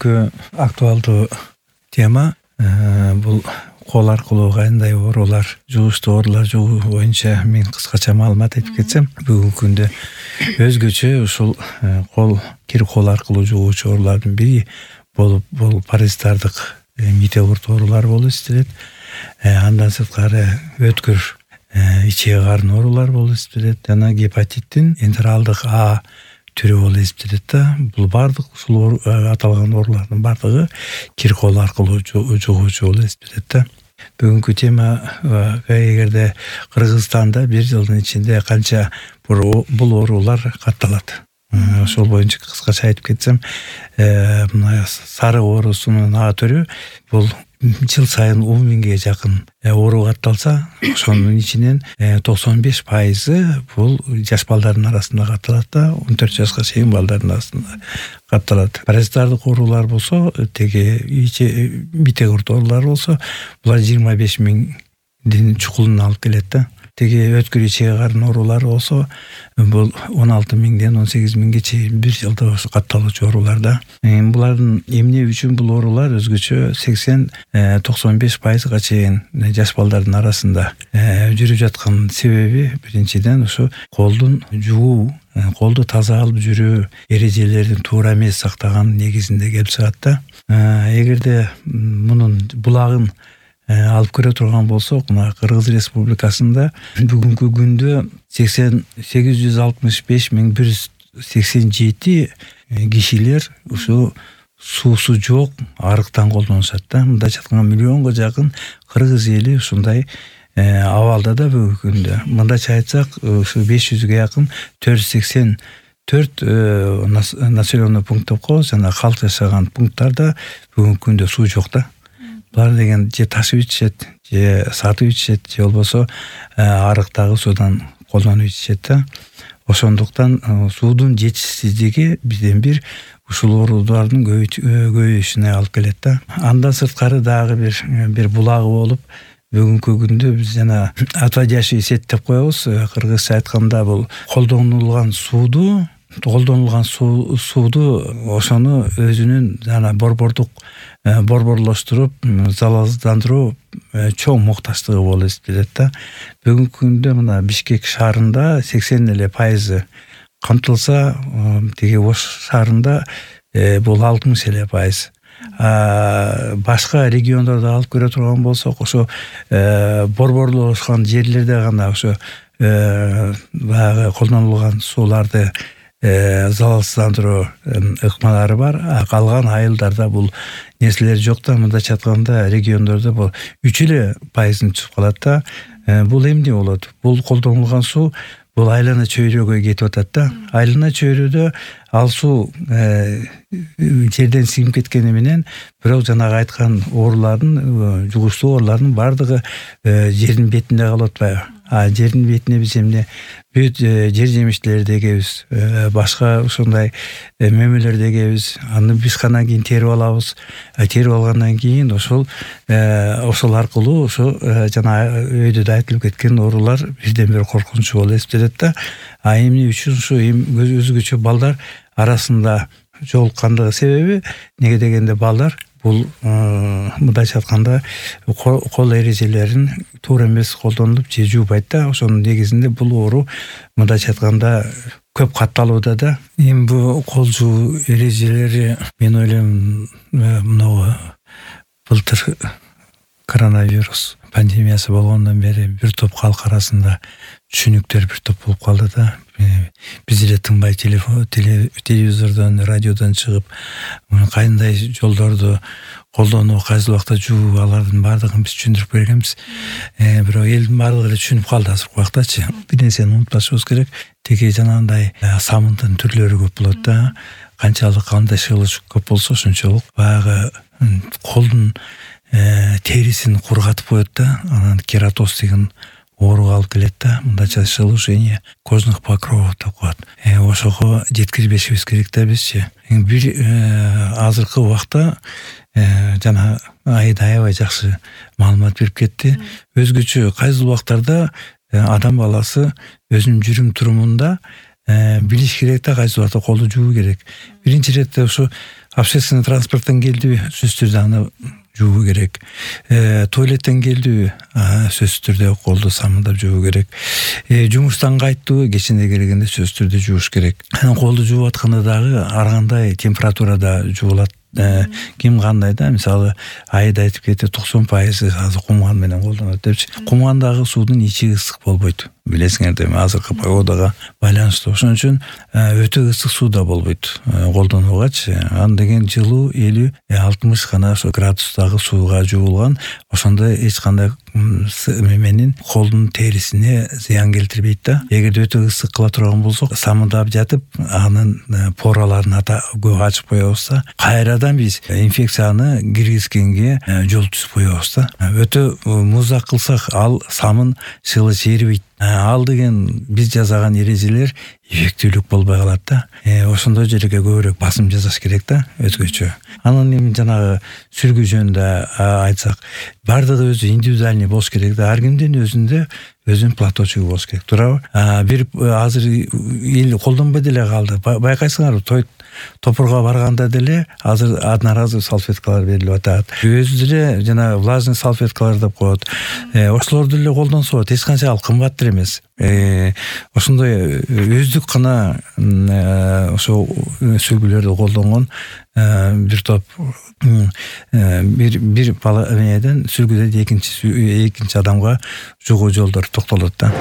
Бүгүнкү актуалдуу тема бул кол аркылуу кандай оорулар, жугуштуу оорулар жугуу боюнча мен кыскача маалымат айтып кетсем, бүгүнкү күндө өзгөчө ушул кир кол аркылуу жугуучу оорулардын бири болуп бул паразиттардык мите курт оорулар болуп эсептелет. Андан сырткары өткүр ичек карын оорулар болуп эсептелет жана гепатиттин энтералдык А түрү болуп эсептелет да. Бул бардык ушул аталган оорулардын бардыгы кир кол аркылуу жугуучу болуп эсептелет да. Бүгүнкү тема эгерде Кыргызстанда бир жылдын ичинде канча бул оорулар катталат. Ошол боюнча кыскача айтып кетсем, мына сары оорусунун А түрү бул жыл сайын 10 миңге жакын оору катталса, ошонун ичинен 95% бул жаш балдардын арасында катталат да, 14 жашка чейин балдардын арасында катталат. Паразиттардык оорулар болсо, теги мите курт оорулар болсо, булар 25 миңдин чукулуна алып келет да. Теги өткүр ичек карын оорулары болсо, бул 16 миңден 18 миңге чейин бир жылда катталуучу оорулар да. Булардын эмне үчүн бул оорулар өзгөчө 80-95%га чейин жаш балдардын арасында жүрүп жаткан себеби биринчиден ушу колдун жуу, колду таза алып жүрүү эрежелерин туура эмес сактаган негизинде келип чыгат да. Эгерде мунун булагын алып көрө турган болсок, мына Кыргыз Республикасында бүгүнкү күндө 865.187 кишилер ушу суусу жок арыктан колдонушат да. Мындайча айтканда миллионго жакын кыргыз эли ушундай абалда да бүгүнкү күндө. Мындайча айтсак, ушу 500ге жакын 484 населенный пункт деп коебуз, жана калк жашаган пункттарда бүгүнкү күндө суу жок да. Булар деген же ташып ичишет, же сатып ичишет, же болбосо арыктагы суудан колдонуп ичишет да. Ошондуктан суудун жетишсиздиги бизден бир ушул оорулардын көбөйүшүнө алып келет да. Андан сырткары дагы бир булагы болуп, бүгүнкү күндө биз жана отводящий сеть деп коебуз. Кыргызча айтканда бул колдонулган сууду ошону өзүнүн жана борборлоштуруп, залалсыздандыруу чоң муктачтыгы болуп эсептелет да. Бүгүнкү күндө мына Бишкек шаарында 80% камтылса, теги Ош шаарында бул 60%. Башка региондорду алып көрө турган болсок, ошо борборлошкон жерлерде гана ошо баягы колдонулган сууларды залалсыздандыруу ыкмалары бар. Калган айылдарда бул нерселер жок да. Мындайча айтканда региондордо бул 3% түсүп калат да. Бул эмне болот? Бул колдонулган суу бул айлана чөйрөгө кетип атат да. Айлана чөйрөдө ал суу жерден сиңип кеткени менен, бирок жанагы айткан оорулардын, жугуштуу оорулардын бардыгы жердин бетинде калып атпайбы? Жердин бетине биз эмне бүт жер жемиштерди эгебиз, башка ошондой мөмөлөрдү эгебиз. Аны биз кандан кийин терип алабыз. Терип алгандан кийин ошол аркылуу ошо жана өйдө да айтылып кеткен оорулар бирден бир коркунучу болуп эсептелет да. Эмне үчүн ушу өзгөчө балдар арасында жолуккандыгы себеби, неге дегенде балдар бул мындайча айтканда кол эрежелерин туура эмес колдонуп же жуубайт да. Ошонун негизинде бул оору мындайча айтканда көп катталууда да. Эми бул кол жуу эрежелери, мен ойлойм, мына былтыр коронавирус пандемиясы болгондон бери бир топ калк арасында түшүнүктөр бир топ болуп калды да. Биз эле тынбай телевизордон, радиодон чыгып, кандай жолдорду колдонуу, кайсы убакта жуу, алардын бардыгын биз түшүндүрүп бергенбиз. Бирок элдин бардыгы эле түшүнүп калды азыркы убактачы. Бир нерсени унутпашыбыз керек. Теги жанагындай самындын түрлөрү көп болот да. Канчалык кандай шылыш көп болсо, ошончолук баягы колдун терисин кургатып коет да. Анан кератоз деген ооруга алып келет да. Мындайча шелушение кожных покровов деп коет. Ошого жеткирбешибиз керек да бизчи. Бир азыркы убакта жана Айда аябай жакшы маалымат берип кетти. Өзгөчө кайсы убактарда адам баласы өзүнүн жүрүм турумунда билиш керек да, кайсы убакта колду жууу керек. Биринчи иретте ушу общественный транспорттон келдиби, сөзсүз түрдө аны жууу керек. Туалеттен келдиби, сөзсүз түрдө колду самындап жууу керек. Жумуштан кайттыбы, кечинде келгенде сөзсүз түрдө жууш керек. Анан колду жууп атканда дагы ар кандай температурада жуулат. Ким кандай да, мисалы айда айтып кетти 90% азыр кумган менен колдонот депчи. Кумгандагы суудун ичи ысык болбойт. Билесиңер да, азыркы погодага байланыштуу. Ошон үчүн өтө ысык суу да болбойт колдонуугач. Аны деген жылуу 50-60 гана ошо градустагы сууга жуулган. Ошондо эч кандай менин колдун терисине зыян келтирбейт да. Эгерде өтө ысык кыла турган болсок, самындап жатып, анын пораларын көп ачып коебузда, кайрадан биз инфекцияны киргизгенге жол түзүп коебуз да. Өтө муздак кылсак, ал самын сылы жерибейт. Ал деген биз жасаган эрежелер эффективдүүлүк болбой калат да. Ошондой жерге көбүрөөк басым жасаш керек да, өзгөчө. Анан эми жанагы сүргү жөнүндө айтсак, бардыгы өзү индивидуальный болуш керек да. Ар кимдин өзүнүн платочугу болуш керек. Туурабы? Бир азыр эл колдонбой деле калды. Байкайсыңарбы, топурга барганда деле азыр одноразовый салфеткалар берилип атат. Өзү деле жана влажный салфеткалар деп коет. Ошолорду деле колдонсо болот. Эч канча ал кымбаттыр эмес. Ошондой өздүк гана ошо сүргүлөрдү колдонгон бир топ бир бала сүргүдө экинчи адамга жугуу жолдор токтолот да.